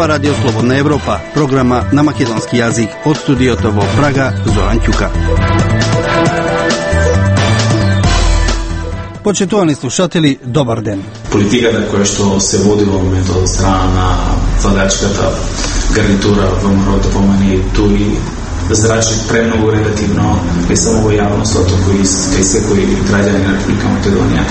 Ова Радио Слободна Европа, програма на македонски јазик од студиото во Прага, Зоран Ќука. Почитувани слушатели, добар ден. Политиката која што се води во моментот од страна на владачката гарнитура во ДПМН туи зрачи премногу негативно, не само во јавноста, туку и кај секој граѓанин на Република Македонија.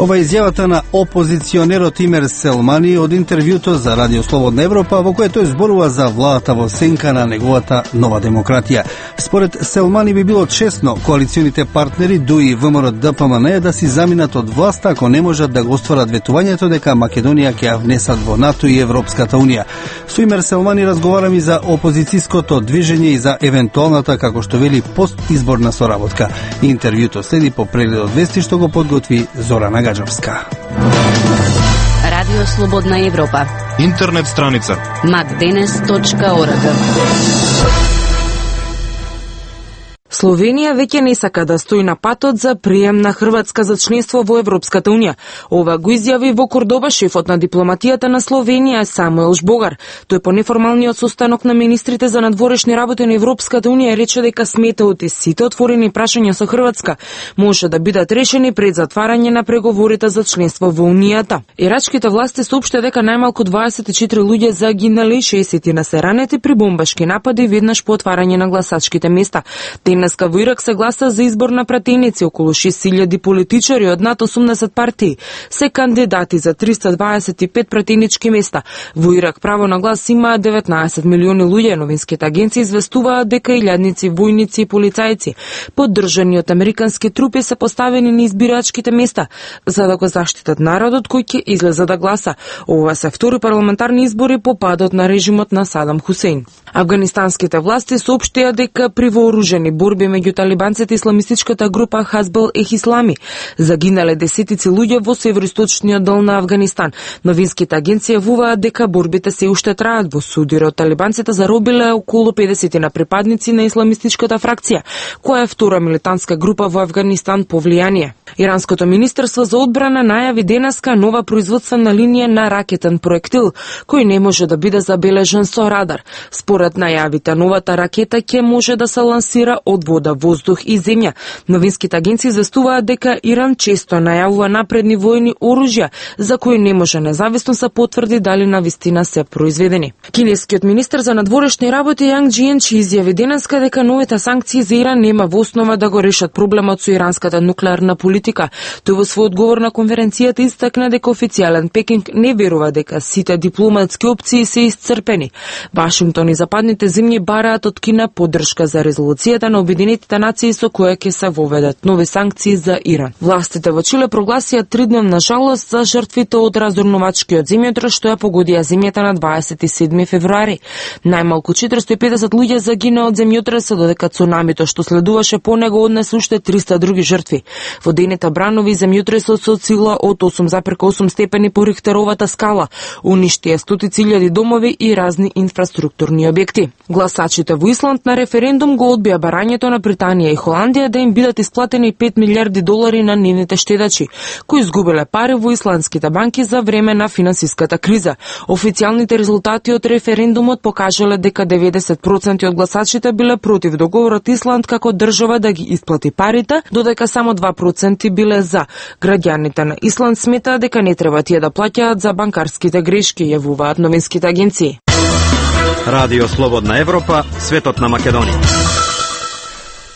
Ова е изјавата на опозиционерот Имер Селмани од интервјуто за Радио Слободна Европа, во кое тој зборува за владата во сенка на неговата нова демократија. Според Селмани би било честно коалиционите партнери ДУИ и ВМРО ДПМН да си заминат од власта ако не можат да го остварат ветувањето дека Македонија ќе ја внесат во НАТО и Европската Унија. Со Имер Селмани разговараме за опозицијското движење и за евентуалната, како што вели, постизборна соработка. Интервјуто следи по прегледот вести што го подготви Зорана Гаджовска. Радио Слободна Европа. Интернет страница macdenes.org. Словенија веќе не сака да стои на патот за прием на Хрватска за членство во Европската Унија. Ова го изјави во Кордоба шефот на дипломатијата на Словенија Самуел Жбогар. Тој по неформалниот состанок на министрите за надворешни работи на Европската Унија рече дека сметаот и сите отворени прашања со Хрватска може да бидат решени пред затварање на преговорите за членство во Унијата. Ирачките власти соопшти дека најмалку 24 луѓе загинале и 60 се ранети при бомбашки напади веднаш по отварање на гласачките места. Денеска во Ирак се гласа за избор на пратеници. Околу 6.000 политичари од над 80 партии се кандидати за 325 пратенички места. Во Ирак право на глас има 19 милиони луѓе. Новинските агенции известуваат дека илјадници војници и полицајци, поддржани од американски трупи, се поставени на избирачките места за да го заштитат народот кој ќе излезе да гласа. Ова се втори парламентарни избори по падот на режимот на Садам Хусеин. Афганистанските власти соопштија дека при вооружени борби меѓу талибанците и исламистичката група Хазбал Ислами загинале десетици луѓе во североисточниот дел на Афганистан. Новинските агенции јавуваат дека борбите се уште траат. Во судир од талибанците заробиле околу 50 на припадници на исламистичката фракција, која е втора милитантска група во Афганистан по влијание. Иранското министерство за одбрана најави денеска нова производствена линија на ракетен проектил, кој не може да биде забележен со радар. Според најавите, новата ракета ќе може да се лансира од вода, воздух и земја. Новинските агенции известуваат дека Иран често најавува напредни војни оружја, за кои не може независно се потврди дали навистина се произведени. Кинескиот министер за надворешни работи Јанг Џиенчи изјави денеска дека новите санкции за Иран нема во основа да го решат проблемот со иранската нуклеарна политика. Тој во свој одговор на конференцијата истакна дека официјален Пекинг не верува дека сите дипломатски опции се исцрпени. Вашингтон и западните земји бараат од Кина поддршка за резолуцијата на Обединетите нации со која ќе се воведат нови санкции за Иран. Властите во Чиле прогласија 3-дневна жалост за жртвите од раздорнувачкиот земјотрес што ја погодија земјата на 27 февруари. Најмалку 450 луѓе загина од земјотресот, додека цунамито што следуваше по него однесе уште 300 други жртви. Водените бранови земјотресот со сила од 8,8 степени по Рихтеровата скала уништија стотици илјади домови и разни инфраструктурни објекти. Гласачите во Исланд на референдум го одбија барањето на Британија и Холандија да им бидат исплатени $5 милиарди на нивните штедачи, кои изгубиле пари во исландските банки за време на финансиската криза. Официјалните резултати од референдумот покажале дека 90% од гласачите биле против договорот Исланд како држава да ги исплати парите, додека само 2% биле за. Граѓаните на Исланд сметаат дека не треба тие да плаќаат за банкарските грешки, јавуваат новинските агенции. Радио Слободна Европа, светот на Македонија.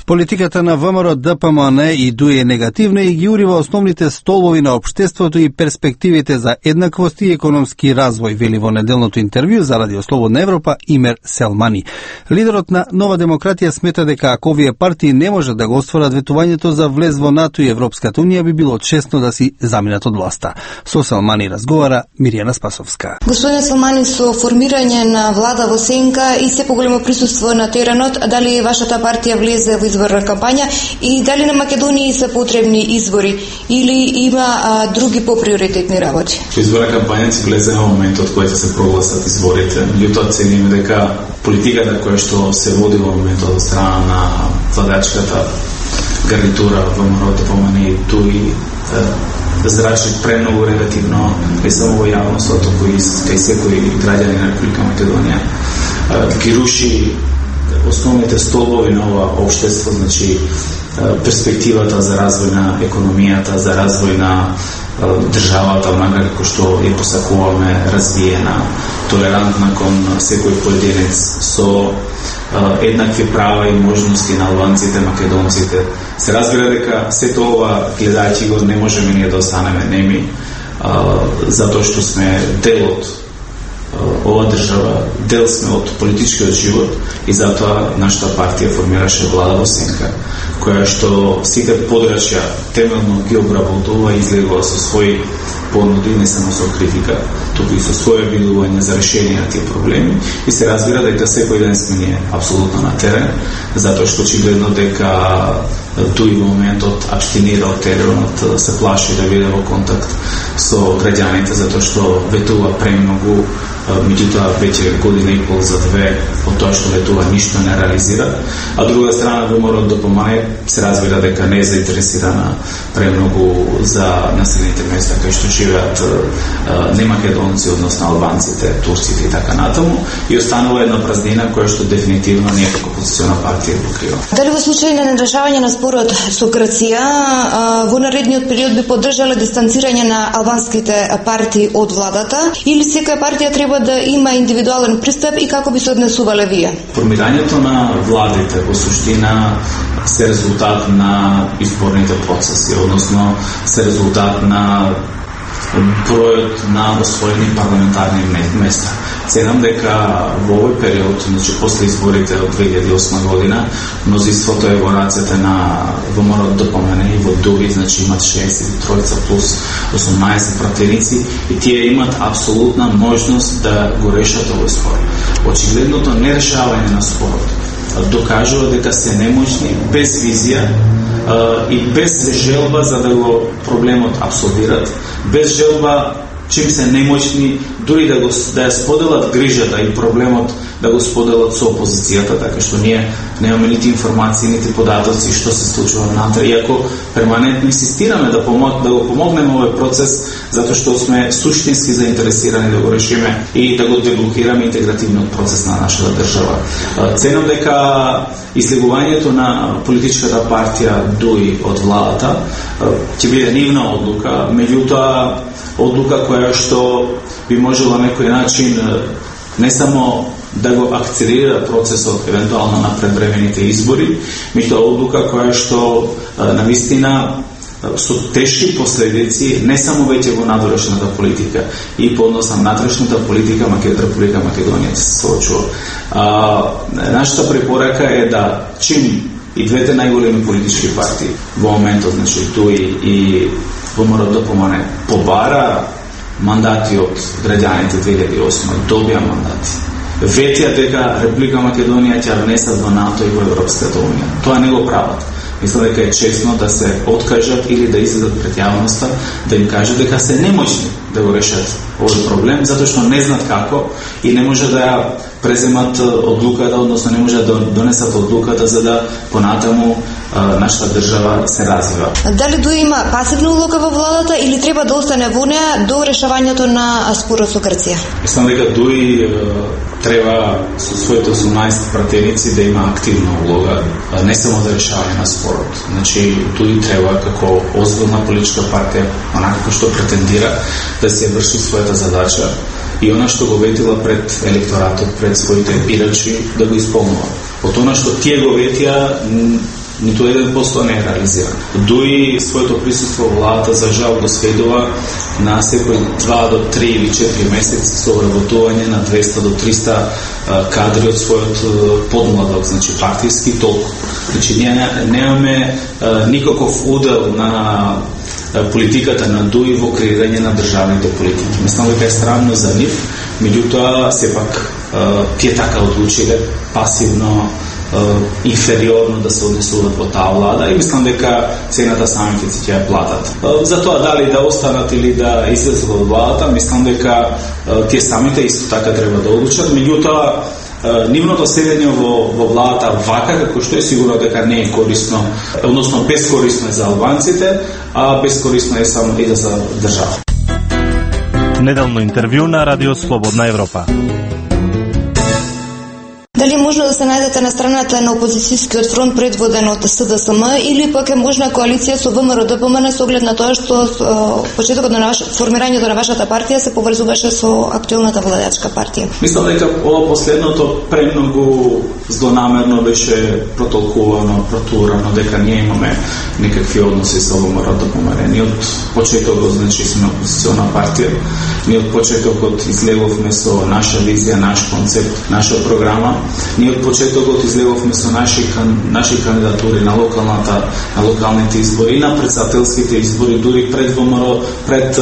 Политиката на ВМРО ДПМН и ДУИ е негативна и ги урива основните столбови на општеството и перспективите за еднаквост и економски развој, вели во неделното интервју за Радио Слободна Европа Имер Селмани. Лидерот на Нова демократија смета дека ако овие партии не можат да го остварат ветувањето за влез во НАТО и Европската Унија, би било честно да си заминат од власта. Со Селмани разговара Миријана Спасовска. Господин Селмани, со формирање на влада во сенка и се поголемо присуство на теренот, дали вашата партија влезе во изборна кампања и дали на Македонија се потребни избори или има други поприоритетни работи? Изборна кампања се влезе на моментот кој се прогласат изборите. Меѓутоа цениме дека политиката која што се води во моментот од страна на владачката гарнитура во ДПМН туи зрачи премногу негативно не само во јавноството, кај секој граѓанин на Република Македонија. Ги руши основните столбови на ова општество, значи перспективата за развој на економијата, за развој на државата, онака како што ја посакуваме, развиена, толерантна кон секој поединец, со еднакви права и можности на албанците, македонците. Се разбира дека сето ова, гледајќи го, не можеме ние да останеме неми, затоа што сме дел од ова држава, дел сме од политичкиот живот и затоа нашата партија формираше влада во сенка, која што сите подрачја темелно ги обработува и излегува со своји понуди, не само со критика, туку и со своје видување за решение на тие проблеми, и се разбира дека секој ден сме ние апсолутно на терен, затоа што очигледно дека тој моментот абстинира од теренот, се плаши да биде во контакт со граѓаните, затоа што ветува премногу, меѓутоа веќе година и пол за две од тоа што ветува ништо не реализира, а друга страна ВМРО ДПМНЕ се разбира дека не е заинтересирана премногу за населените места кај што живеат немакедонци, односно албанците, турците и така натаму, и останува една празнина која што дефинитивно ние како опозициона партија покрива. Дали во случај на нерешавање на спорот со Грција во наредниот период би поддржале дистанцирање на албанските партии од владата, или секоја партија треба да има индивидуален пристап и како би се однесувале вие? Формирањето на владите во суштина се резултат на изборните процеси, односно се резултат на бројот на освоени парламентарни места. Ценам дека во овој период, значи после изборите од 2008 година, мнозинството е во рацете на ВМРО ДПМНЕ и во ДУИ, значи имат 63 плюс 18 пратеници и тие имат апсолутна можност да го решат овој спор. Очигледното нерешавање на спорот докажува дека се немоćни, без визија и без желба за да го проблемот абсолвират, без желба чим се немоćни дури да ја споделат грижата и проблемот да го споделат со опозицијата, така што ние немаме нити информации, нити податоци што се случува внатре, иако перманентно инсистираме да го помогнеме овој процес, затоа што сме суштински заинтересирани да го решиме и да го деблокираме интегративниот процес на нашата држава. Ценам дека излегувањето на политичката партија ДУИ од владата ќе биде нивна одлука, меѓутоа одлука која што би можела на некој начин не само да го акцелерира процесот евентуално на предвремените избори, меѓутоа одлука која што навистина со тешки последици не само веќе во надворешната политика и по однос на внатрешната политика Република Македонија се соочува. Нашата препорака е да чим и двете најголеми политички партии во моментот, значи ДУИ и ВМРО ДПМНЕ побара мандати од граѓаните 2008, добија мандати. Ветија дека Република Македонија ќе внесат во НАТО и во Европската унија. Тоа не го прават. Мислам дека е честно да се откажат или да излезат пред јавноста, да им кажат дека се немоćни да го решат овој проблем, затоа што не знаат како и не може да ја преземат одлуката, односно не може да донесат одлуката за да понатаму нашата држава се развива. Дали ДУИ има пасивна улога во владата или треба да остане во неа до решавањето на спорот со Грција? Мислам дека ДУИ треба со своите 18 пратеници да има активна улога, не само за решавање на спорот. Значи, ДУИ треба како озбилна политичка партија, онака што претендира да се врши својата задача и она што го ветила пред електоратот, пред своите бирачи, да го исполнува. Од она што тие го ветија, ниту 1% не е реализиран. ДУИ своето присуство во владата за жал го сведува на секој 2 до 3 или 4 месеци со вработување на 200 до 300 кадри од својот подмладок, значи партиски толку. Значи ние немаме никаков удел на политиката на ДУИ во креирање на државните политики. Мислам дека е странно за нив, меѓутоа сепак тие така одлучиле пасивно, инфериорно да се однесуваат во таа влада и мислам дека цената самите ќе ја платат. За тоа дали да останат или да излезат од владата, мислам дека тие самите исто така треба да одлучат, меѓутоа нивното седење во владата вака, како што е сигурно дека не е корисно, односно бескорисно е за албанците, а бескорисно е само и за држава. Неделно интервју на Радио Слободна Европа. Дали можно да се најдете на страната на опозицијскиот фронт предводен од СДСМ или пак е можна коалиција со ВМРО-ДПМН со оглед на тоа што почетокот на формирањето на вашата партија се поврзуваше со актуелната владачка партија? Мислам дека ова последното премногу злонамерно беше протолкувано, протурано, дека ние имаме некакви односи со ВМРО-ДПМН. Ние од почетокот, значи, сме опозициона партија. Ние од почетокот излеговме со наша визија, наш концепт, наша програма. Ние од почетокот излеговме со наши кандидатури на локалните избори, на председателските избори, дури пред ВМРО, пред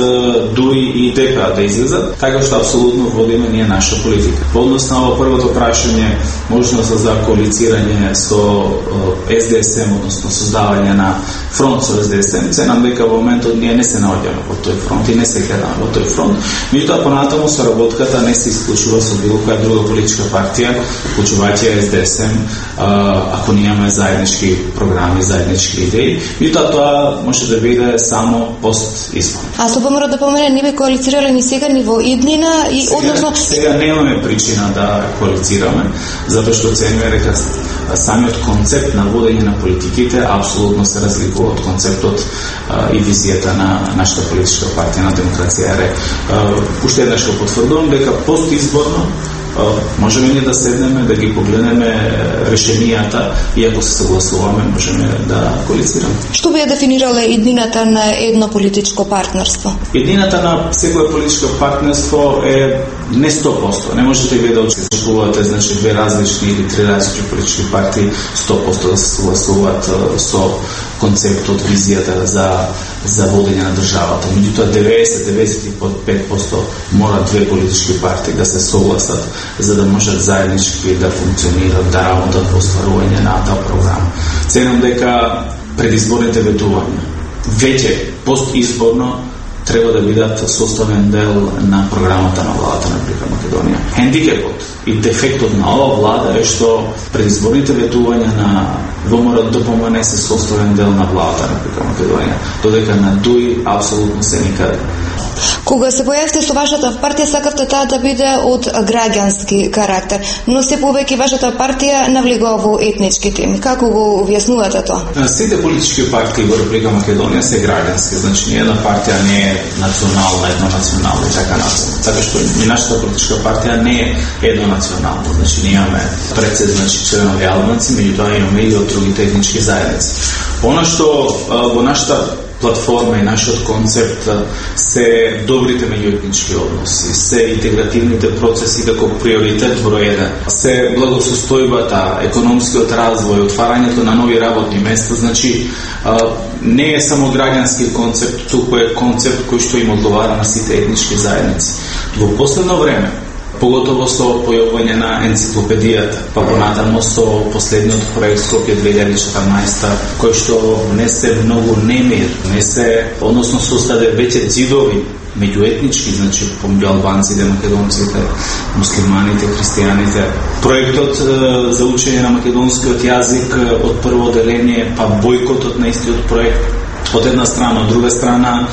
дури и ДПА да излезат, така што апсолутно водиме ние наша политика. Во однос на ово првото прашање, можност за коалицирање со СДСМ, односно создавање на фронт со СДСМ, ценам дека во моментот ние не се наоѓаме во тој фронт и не се гледаме во тој фронт. Меѓутоа понатаму соработката не се исклучува со било која друга политичка партија, вклучувајќи СДСМ, ако немаме заеднички програми, заеднички идеи. Меѓутоа тоа може да биде само пост избор. А со ВМРО-ДПМН не би коалицирале ни сега ни во иднина и односно сега немаме причина да коалицираме, затоа што цениме дека самиот концепт на водење на политиките апсолутно се разликува од концептот и визијата на нашата политичка партија на Демократија РФ. Уште еднаш го потврдувам дека постизборно можеме ние да седнеме, да ги погледнеме решенијата и ако се согласуваме, можеме да коалицираме. Што би ја дефинирала иднината на едно политичко партнерство? Иднината на секое политичко партнерство е не 100%. Не можете вие да очекувате, значи, две различни или три различни политички партии 100% да се согласуваат со концептот, визијата за водење на државата. Меѓутоа 90-95% мора две политички партии да се согласат за да можат заеднички да функционират, да работат во остварување на таа програма. Ценам дека предизборните ветувања веќе постизборно треба да бидат составен дел на програмата на владата на Република Македонија. Хендикепот и дефектот на ова влада е што предизборните ветувања на ВМРО-ДПМН се составен дел на владата на Република Македонија, додека на ДУИ апсолутно се никаде. Кога се појавите со вашата партија, сакавте таа да биде од граѓански карактер, но се повеќе вашата партија навлегува во етнички теми. Како го објаснувате тоа? Сите политички партии во Република Македонија се граѓански, значи ни една партија не е национална, еднонационална и така натаму. Така што и нашата политичка партија не е еднонационална, значи ние имаме председ, значи членови албанци, меѓутоа имаме и од другите етнички заедници. Она што во нашата платформа и нашиот концепт се добрите меѓуетнички односи, се интегративните процеси како приоритет број 1, се благосостојбата, економскиот развој, отварањето на нови работни места, значи не е само граѓански концепт, туку е концепт кој што им одговара на сите етнички заедници. Во последно време, поготово со појавување на енциклопедијата, па понатаму со последниот проект Скопје 2014, кој што внесе многу немир, односно создаде веќе ѕидови меѓуетнички, значи помеѓу албанците, македонците, муслиманите, христијаните. Проектот за учење на македонскиот јазик од прво деление, па бојкотот на истиот проект, од една страна, од друга страна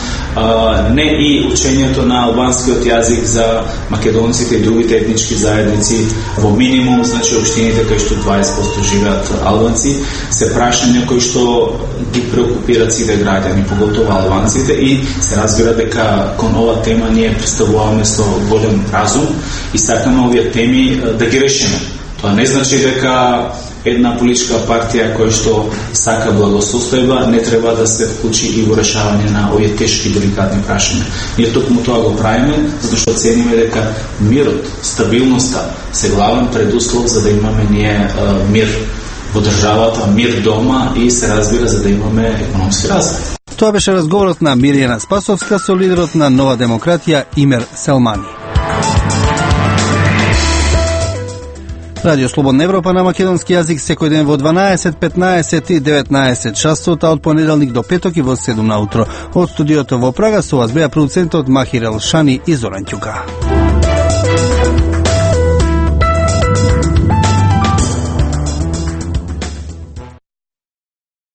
не и учењето на албанскиот јазик за македонците и другите етнички заедници во минимум, значи општините кај што 20% живеат албанци, се прашања кои што ги преокупираат сите граѓани, поготово албанците, и се разбира дека кон ова тема ние пристапуваме со голем разум и сакаме овие теми да ги решиме. Тоа не значи дека една политичка партија која што сака благосостојба не треба да се вклучи и во решавање на овие тешки деликатни прашања. Ние токму тоа го правиме, затоа што цениме дека мирот, стабилноста се главен предуслов за да имаме ние мир во државата, мир дома и се разбира за да имаме економски развој. Тоа беше разговорот на Мирјана Спасовска со лидерот на Нова демократија Имер Селмани. Радио Слободна Европа на македонски јазик секој ден во 12, 15 и 19 часот, а од понеделник до петок и во 7 наутро. Од студиото во Прага со вас беа продуцентот Махир Елшани и Зоран Ќука.